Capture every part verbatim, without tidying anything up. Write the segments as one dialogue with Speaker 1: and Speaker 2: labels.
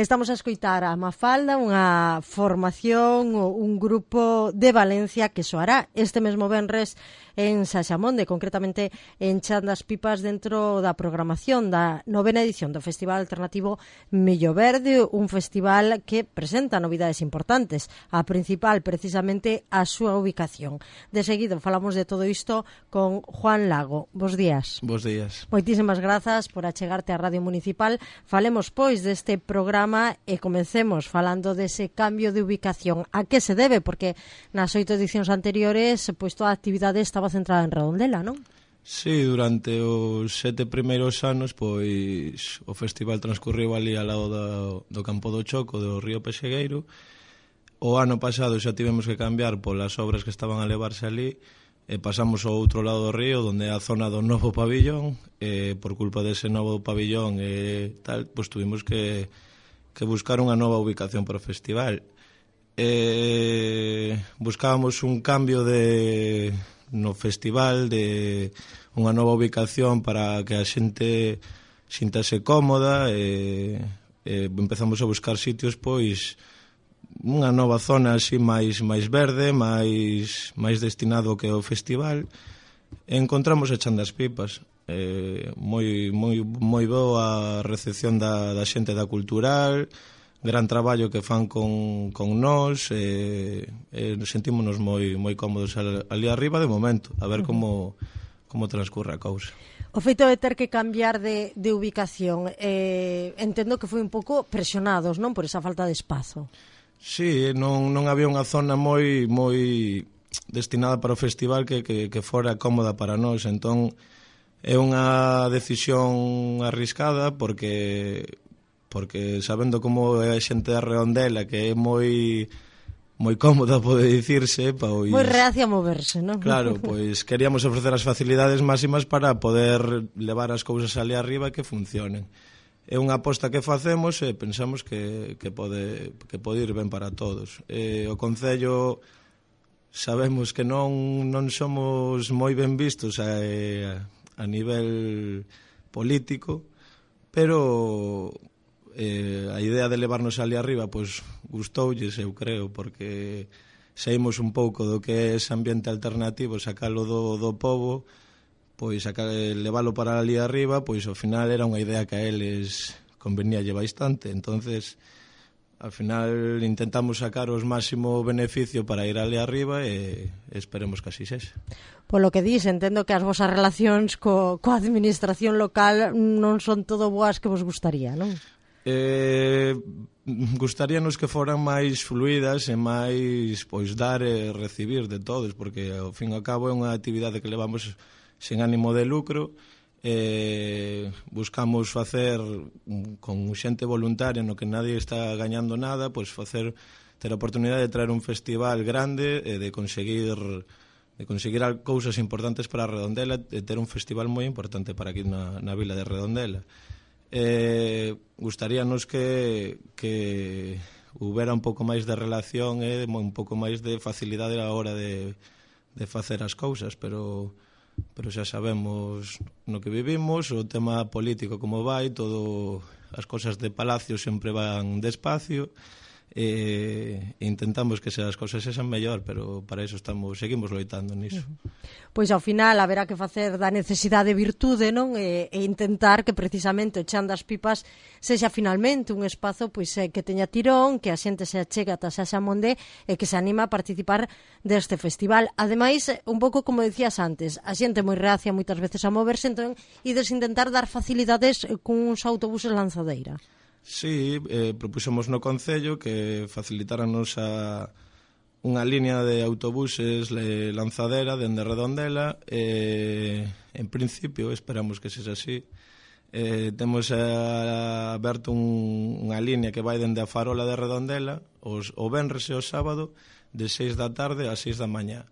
Speaker 1: Estamos a escoitar a Mafalda, unha formación, un grupo de Valencia que soará este mesmo venres en Saxamonde, concretamente en Chan das Pipas, dentro da programación da novena edición do Festival Alternativo Millo Verde, un festival que presenta novidades importantes, a principal precisamente a súa ubicación. De seguido falamos de todo isto con Juan Lago. Bos días.
Speaker 2: Bos días.
Speaker 1: Moitísimas grazas por achegarte á Radio Municipal. Falemos, pois, deste programa e comencemos falando dese cambio de ubicación. A que se debe? Porque nas oito edicións anteriores, pois, toda a actividade estaba centrada en Redondela, non?
Speaker 2: Sí, durante os sete primeiros anos, pois, o festival transcurriu ali ao lado do, do Campo do Choco, do Río Pexegueiro. O ano pasado xa tivemos que cambiar polas obras que estaban a levarse ali, e pasamos ao outro lado do río, onde é a zona do novo pabillón, e por culpa dese novo pabillón e tal, pois tuvimos que, que buscar unha nova ubicación para o festival. E buscábamos un cambio de no festival, de unha nova ubicación para que a xente xintase cómoda, e, e empezamos a buscar sitios, pois, unha nova zona así máis máis verde, máis máis destinado que ao festival. E encontramos a Chan das Pipas. Eh, moi moi moi boa a recepción da da xente da cultural, gran traballo que fan con con nós, e eh, eh, sentímonos moi moi cómodos ali arriba de momento, a ver como como transcurre a cousa.
Speaker 1: O feito de ter que cambiar de, de ubicación, eh, entendo que foi un pouco presionados, non, por esa falta de espazo.
Speaker 2: Sí, non, non había unha zona moi moi destinada para o festival que, que, que fora cómoda para nós, entón é unha decisión arriscada porque porque sabendo como é a xente da Redondela, que é moi moi cómoda, pode dicirse, pois
Speaker 1: moi reacia a moverse, non?
Speaker 2: Claro, pois queríamos ofrecer as facilidades máximas para poder levar as cousas ali arriba e que funcionen. É unha aposta que facemos e pensamos que, que, pode, que pode ir ben para todos. E o Concello sabemos que non, non somos moi ben vistos a, a nivel político, pero eh, a idea de levarnos ali arriba pois gustoulles, eu creo, porque saímos un pouco do que é ese ambiente alternativo, sacalo do, do pobo, pois a leválo para ali arriba, pois ao final era unha idea que a eles conveníalle bastante. Entonces, ao final intentamos sacar os máximo beneficio para ir ali arriba e esperemos que así sexa.
Speaker 1: Polo que dis, entendo que as vosas relacións co, coa administración local non son todo boas que vos gustaría, non?
Speaker 2: Eh, gustaríanos que foran máis fluidas e máis, pois, dar e recibir de todos, porque ao fin e ao cabo é unha actividade que levamos sen ánimo de lucro, eh, buscamos facer con xente voluntaria no que nadie está gañando nada, pois facer ter a oportunidade de traer un festival grande e de conseguir de conseguir cousas importantes para Redondela, de ter un festival moi importante para aquí na, na vila de Redondela. Eh, gustaríanos que que houbera un pouco máis de relación e un pouco máis de facilidade a hora de, de facer as cousas, pero pero xa sabemos no que vivimos, o tema político como vai, todo as cosas de palacio sempre van despacio, e intentamos que as cousas sexan mellor, pero para iso estamos seguimos loitando niso.
Speaker 1: Pois ao final haberá que facer da necesidade virtude, non? E, e intentar que precisamente o Chan das Pipas sexa finalmente un espazo pois que teña tirón, que a xente se achega ata Saxamonde e que se anima a participar deste festival. Ademais, un pouco como decías antes, a xente moi reacia moitas veces a moverse, entón ides intentar dar facilidades cuns autobuses lanzadeira.
Speaker 2: Sí, eh, propuxemos no Concello que facilitáranos a unha línea de autobuses lanzadera dende Redondela, e en principio esperamos que sexa así. Eh, temos eh, aberto un, unha línea que vai dende a Farola de Redondela os, o venres e o sábado de seis da tarde a seis da mañá,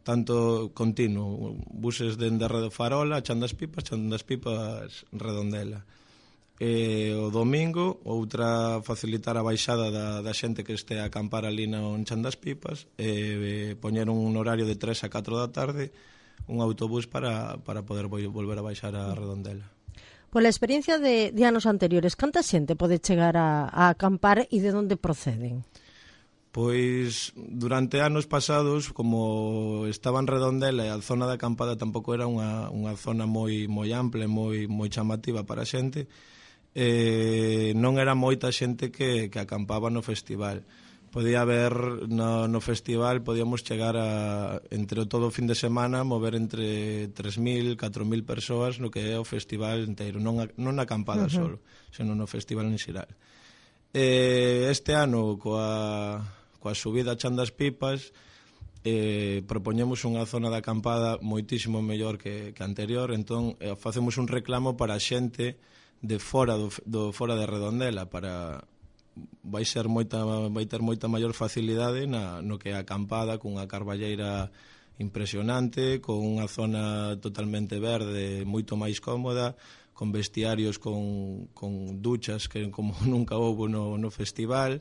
Speaker 2: tanto continuo, buses dende Farola, Chan das Pipas, Chan das Pipas, Redondela. E o domingo, outra facilitar a baixada da, da xente que este a acampar ali no Chan das Pipas, e, e poñer un horario de tres a catro da tarde un autobús para, para poder volver a baixar a Redondela.
Speaker 1: Pola experiencia de, de anos anteriores, canta xente pode chegar a, a acampar e de onde proceden?
Speaker 2: Pois durante anos pasados, como estaba en Redondela e a zona da acampada tampouco era unha, unha zona moi moi ampla e moi, moi chamativa para a xente, eh, non era moita xente que, que acampaba no festival. Podía haber no, no festival, podíamos chegar a, entre o todo o fin de semana, mover entre tres mil, catro mil persoas no que é o festival inteiro, non, a, non na acampada uh-huh. solo, senón no festival en xeral. Eh, este ano, coa, coa subida a Chan das Pipas, eh, propoñemos unha zona de acampada moitísimo mellor que, que anterior, entón eh, facemos un reclamo para a xente de fora do, do fora de Redondela, para vai ser moita vai ter moita maior facilidade na no que é a acampada, cunha carballeira impresionante, con unha zona totalmente verde, moito máis cómoda, con vestiarios con, con duchas que como nunca houbo no, no festival.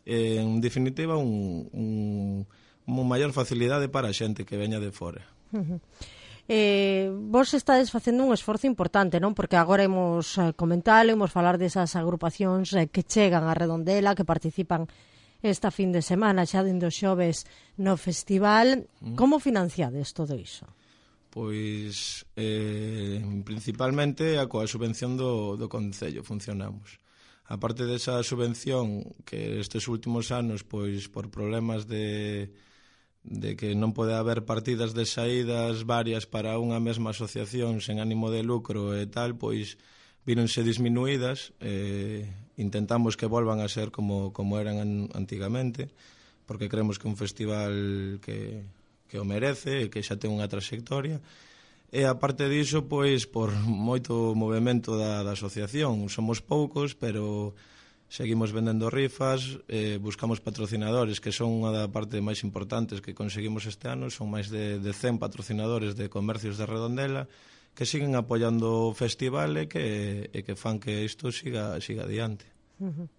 Speaker 2: Eh, en definitiva, un, un, unha maior facilidade para a xente que veña de fora.
Speaker 1: Uh-huh. Eh, vos estades facendo un esforzo importante, non? Porque agora imos eh, comentalo, imos falar desas agrupacións eh, que chegan a Redondela, que participan esta fin de semana, xa dende os xoves no festival. Mm. Como financiades todo iso?
Speaker 2: Pois, eh, principalmente a coa subvención do, do Concello funcionamos. A parte desa subvención, que estes últimos anos, pois, por problemas de... de que non pode haber partidas de saídas varias para unha mesma asociación sen ánimo de lucro e tal, pois víronse disminuídas. Eh, intentamos que volvan a ser como, como eran antigamente, porque creemos que é un festival que, que o merece e que xa ten unha trayectoria. E aparte diso, pois, por moito movimento da, da asociación, somos poucos, pero seguimos vendendo rifas, eh, buscamos patrocinadores, que son unha da parte máis importantes que conseguimos este ano. Son máis de, de cen patrocinadores de comercios de Redondela que siguen apoiando o festival e que, e que fan que isto siga, siga adiante.
Speaker 1: Uh-huh.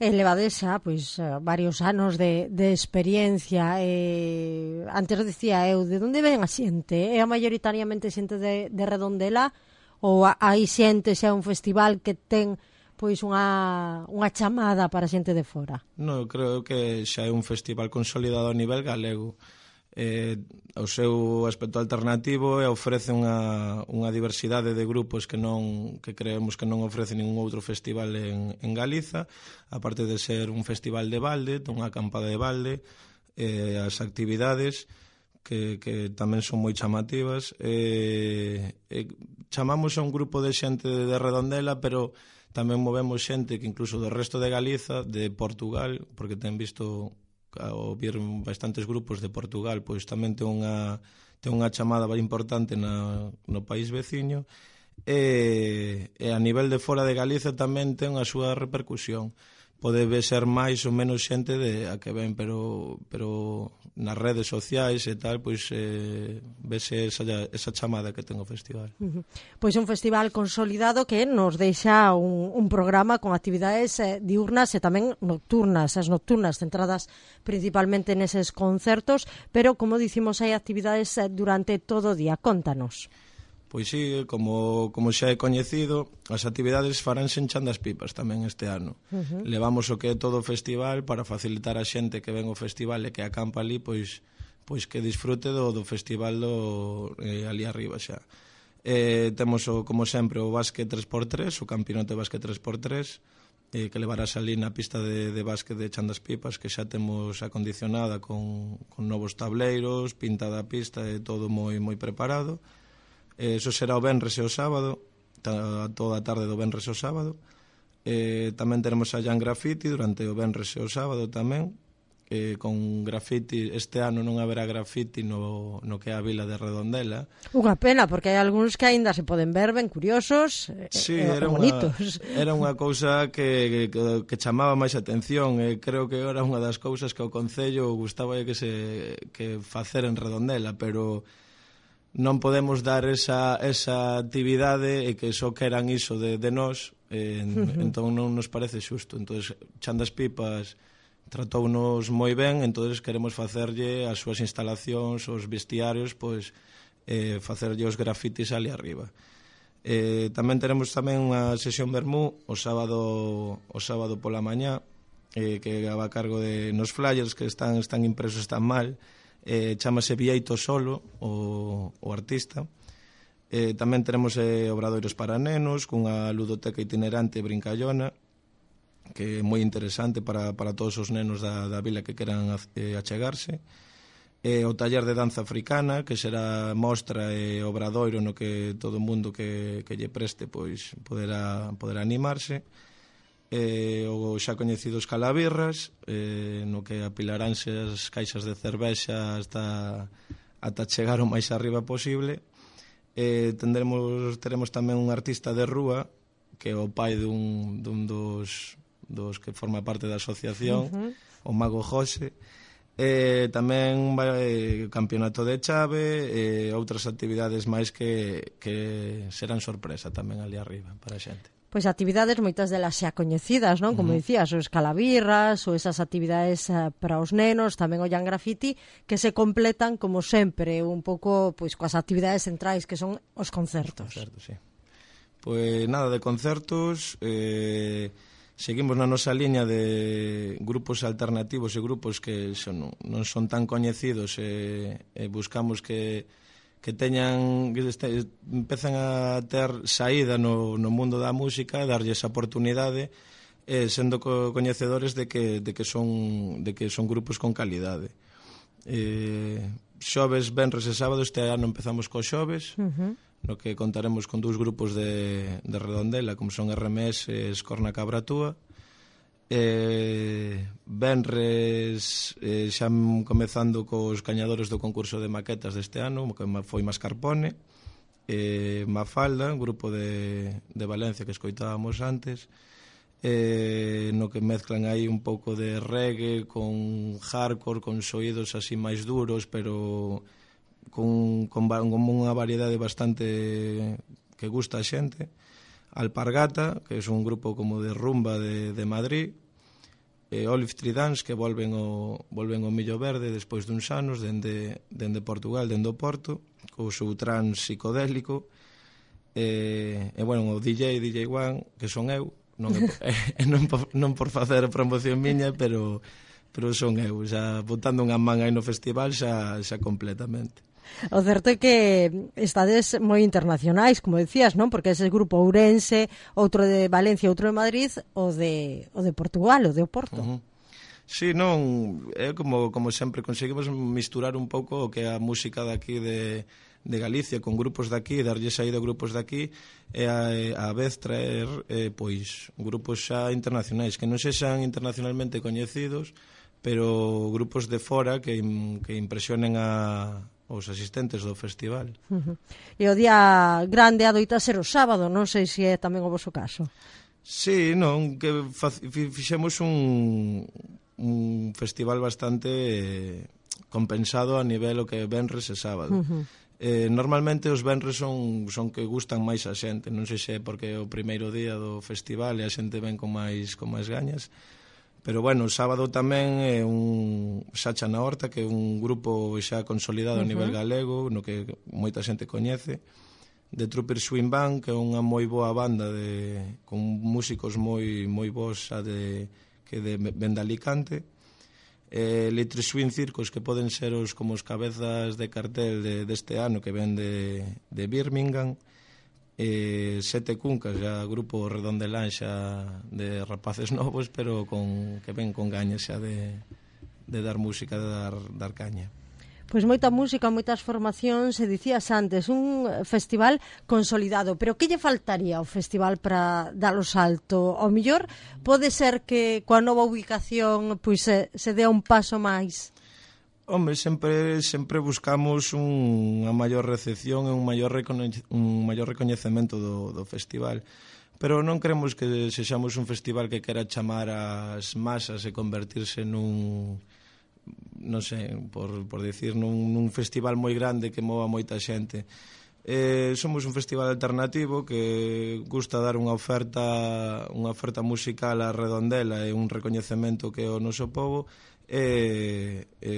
Speaker 1: E levadesa, pois, varios anos de, de experiencia. Eh, antes dicía eu, de onde ven a xente? É a maioritariamente xente de, de Redondela ou hai xente, xa un festival que ten pois unha, unha chamada para xente de fora?
Speaker 2: Non, creo que xa é un festival consolidado a nivel galego. Eh, o seu aspecto alternativo e ofrece unha, unha diversidade de grupos que non que creemos que non ofrece ningún outro festival en, en Galiza, aparte de ser un festival de balde, unha acampada de balde, eh, as actividades que, que tamén son moi chamativas. Eh, eh, chamamos a un grupo de xente de Redondela, pero tamén movemos xente que incluso do resto de Galiza, de Portugal, porque ten visto ao vir bastantes grupos de Portugal, pois tamén ten unha, ten unha chamada importante na, no país veciño, e, e a nivel de fora de Galiza tamén ten a súa repercusión. Pode ser máis ou menos xente de a que ven, pero, pero nas redes sociais e tal, pois eh, vese esa, esa chamada que ten o festival.
Speaker 1: Uh-huh. Pois un festival consolidado que nos deixa un, un programa con actividades eh, diurnas e tamén nocturnas, as nocturnas centradas principalmente neses concertos, pero como dicimos hai actividades eh, durante todo o día. Contanos.
Speaker 2: Pois sí, como, como xa é coñecido, as actividades faránse en Chan das Pipas tamén este ano. Uh-huh. Levamos o que é todo o festival para facilitar a xente que ven o festival e que acampa ali, pois, pois que disfrute do, do festival do, eh, ali arriba xa. Eh, temos, o, como sempre, o básquet tres por tres, o campeonato de básquet tres por tres, eh, que levarás ali na pista de, de básquet de Chan das Pipas, que xa temos acondicionada con, con novos tableiros, pintada a pista e todo moi, moi preparado. Eso será o venres e o sábado, toda a tarde do venres e o sábado. Eh, tamén teremos a Jan Graffiti durante o venres e o sábado tamén, eh, con graffiti. Este ano non haberá graffiti no, no que é a vila de Redondela.
Speaker 1: Unha pena, porque hai algúns que aínda se poden ver ben curiosos e,
Speaker 2: sí,
Speaker 1: e
Speaker 2: era
Speaker 1: bonitos.
Speaker 2: Unha, era unha cousa que, que, que chamaba máis atención, e creo que era unha das cousas que o Concello gustaba que se que facer en Redondela, pero non podemos dar esa, esa actividade e que só queran iso de, de nós, eh, uh-huh. entón non nos parece xusto. Entón, Chan das Pipas tratounos moi ben, entón queremos facerlle as súas instalacións, os vestiarios, pois eh, facerlle os grafitis ali arriba. Eh, tamén teremos tamén unha sesión vermú o sábado o sábado pola mañá, eh, que va a cargo de nos flyers que están están impresos tan mal, eh, chamase Vieito Solo o, o artista. Eh, tamén teremos eh, obradoiros para nenos cunha ludoteca itinerante brincallona, que é moi interesante para, para todos os nenos da, da vila que queran eh, achegarse. Eh, o taller de danza africana, que será mostra e obradoiro no que todo o mundo que, que lle preste pois poderá, poderá animarse. Eh, o xa coñecidos calabirras, eh, no que apilaránse as caixas de cervexa hasta, ata chegar o máis arriba posible. Eh, tendremos, teremos tamén un artista de rúa, que é o pai dun, dun dos, dos que forma parte da asociación, uh-huh. o Mago José. Eh, tamén vai campeonato de chave e eh, outras actividades máis que, que serán sorpresa tamén ali arriba para a xente.
Speaker 1: Pois actividades moitas delas xa coñecidas, non? Como uh-huh. dicías, os calabirras ou esas actividades uh, para os nenos, tamén o Jan Graffiti, que se completan como sempre un pouco pois coas actividades centrais que son os concertos.
Speaker 2: Concertos, sí. Pois nada de concertos, eh seguimos na nosa liña de grupos alternativos e grupos que son, non son tan coñecidos e, e buscamos que, que teñan que este, empezan a ter saída no, no mundo da música e darlle esa oportunidade eh, sendo co, coñecedores de que, de, que son, de que son grupos con calidade. Eh, xoves, venres e sábado, este ano empezamos co xoves, uh-huh. no que contaremos con dous grupos de, de Redondela, como son R M S e Escorna Cabratúa. Eh, venres eh, xa comezando cos gañadores do concurso de maquetas deste ano, que foi Mascarpone, eh, Mafalda, un grupo de, de Valencia que escoitábamos antes, eh, no que mezclan aí un pouco de reggae con hardcore, con soídos así máis duros, pero con, con, con unha variedade bastante que gusta a xente. Alpargata, que é un grupo como de rumba de, de Madrid, e Olive Tree Dance, que volven o, volven o Millo Verde despois duns anos, dende, dende Portugal, dende o Porto, co seu trans psicodélico, e, e bueno, o D J, D J One, que son eu, non, é, non, por, non por facer a promoción miña, pero, pero son eu, xa botando unha man aí no festival xa, xa completamente.
Speaker 1: O certo é que estades moi internacionais, como decías, non? Porque ese grupo Ourense, outro de Valencia, outro de Madrid, o de, o de Portugal, o de Oporto.
Speaker 2: Uh-huh. Sí, non, é como, como sempre conseguimos misturar un pouco o que é a música daqui de, de Galicia con grupos daqui, darlle saída a grupos daqui e a, a vez traer eh, pois grupos xa internacionais que non sexan internacionalmente coñecidos, pero grupos de fora que, que impresionen a os asistentes do festival.
Speaker 1: Uh-huh. E o día grande adoita ser o sábado, non sei se é tamén o voso caso.
Speaker 2: Sí, non, que fixemos un, un festival bastante compensado a nivel o que venres e sábado. Uh-huh. Eh, normalmente os venres son, son que gustan máis a xente, non sei se é porque é o primeiro día do festival e a xente ven con máis, con máis gañas. Pero, bueno, o sábado tamén é un Sacha na Horta, que é un grupo xa consolidado uh-huh. a nivel galego, no que moita xente coñece, de Trooper Swing Band, que é unha moi boa banda de, con músicos moi moi bons xa de, que de, ven de Alicante, eh, Little Swing Circus, que poden ser os como os cabezas de cartel de, deste ano, que ven de, de Birmingham, eh, Sete Cuncas, já grupo redondelán xa de rapaces novos, pero con, que ven con gañas xa de, de dar música, de dar, dar caña.
Speaker 1: Pois moita música, moitas formacións, e dicías antes, un festival consolidado, pero que lle faltaría ao festival para dar o salto? Ao mellor pode ser que coa nova ubicación pois se, se dea un paso máis.
Speaker 2: Home, sempre sempre buscamos un, unha maior recepción e un maior, recoñe, un maior recoñecemento do, do festival. Pero non queremos que sexamos un festival que quera chamar as masas e convertirse nun, non sei, por, por dicir, nun, nun festival moi grande que mova moita xente. Eh, somos un festival alternativo que gusta dar unha oferta unha oferta musical a Redondela e un recoñecemento que é o noso povo, e, e,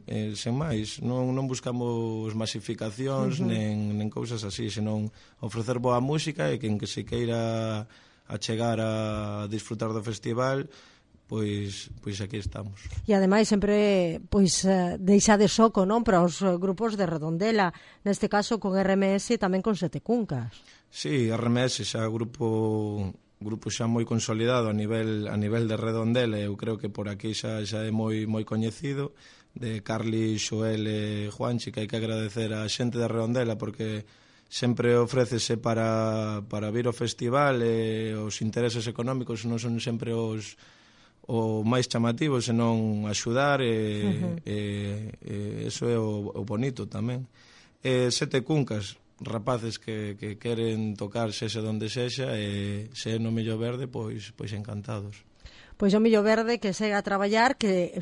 Speaker 2: e sen máis, non, non buscamos masificacións, uh -huh. nen, nen cousas así, senón ofrecer boa música, e quen que se queira a chegar a disfrutar do festival, pois pois aquí estamos.
Speaker 1: E ademais sempre pois deixa de soco, non, para os grupos de Redondela, neste caso con R M S e tamén con Sete Cuncas.
Speaker 2: Sí, R M S xa grupo grupo xa moi consolidado a nivel a nivel de Redondela, eu creo que por aquí xa xa é moi moi coñecido, de Carli, Xoel e Juanchi, que hai que agradecer a xente de Redondela porque sempre ofrécese para para vir ao festival, e os intereses económicos non son sempre os o máis chamativo, senón axudar, e, uh -huh. e, e eso é o, o bonito tamén. E Sete Cuncas, rapaces que, que queren tocar sexa donde sexa, e se é no Millo Verde, pois pois encantados.
Speaker 1: Pois o Millo Verde que segue a traballar, que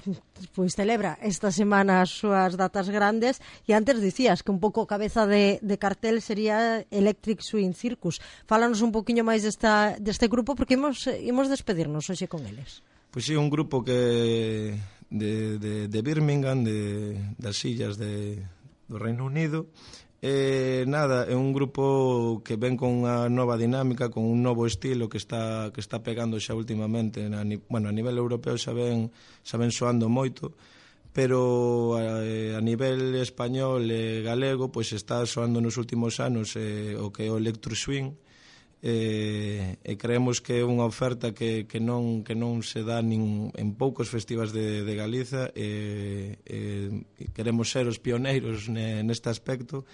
Speaker 1: pois celebra esta semana as súas datas grandes, e antes dicías que un pouco cabeza de, de cartel sería Electric Swing Circus. Fálanos un poquinho máis desta, deste grupo, porque imos, imos despedirnos hoxe con eles.
Speaker 2: Pois sí, un grupo que de, de, de Birmingham, de, das illas de, do Reino Unido. Eh, nada, é un grupo que ven con unha nova dinámica, con un novo estilo que está que está pegando xa últimamente, na, bueno, a nivel europeo xa ven, xa ven soando moito, pero a, a nivel español e galego pois está soando nos últimos anos eh, o que é o Electro Swing, e, e creemos que é unha oferta que, que, non, que non se dá nin en poucos festivais de, de Galiza, e, e queremos ser os pioneiros neste aspecto,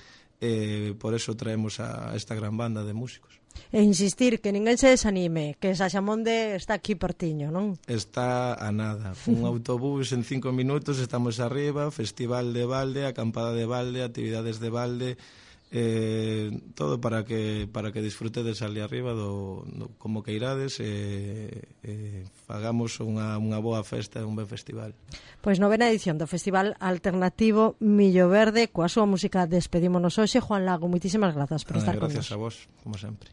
Speaker 2: e por eso traemos a esta gran banda de músicos.
Speaker 1: E insistir, que ninguén se desanime, que Saxamonde está aquí pertiño, non?
Speaker 2: Está a nada, un autobús en cinco minutos, estamos arriba, festival de balde, acampada de balde, actividades de balde, eh, todo para que para que disfrutedes ali arriba do, do como que irades, e eh, eh, fagamos unha, unha boa festa e un ben festival.
Speaker 1: Pois novena edición do Festival Alternativo Millo Verde, coa súa música despedímonos hoxe. Juan Lago, moitísimas grazas por
Speaker 2: ah,
Speaker 1: estar con
Speaker 2: nós. Gracias
Speaker 1: nos.
Speaker 2: a vos, como sempre.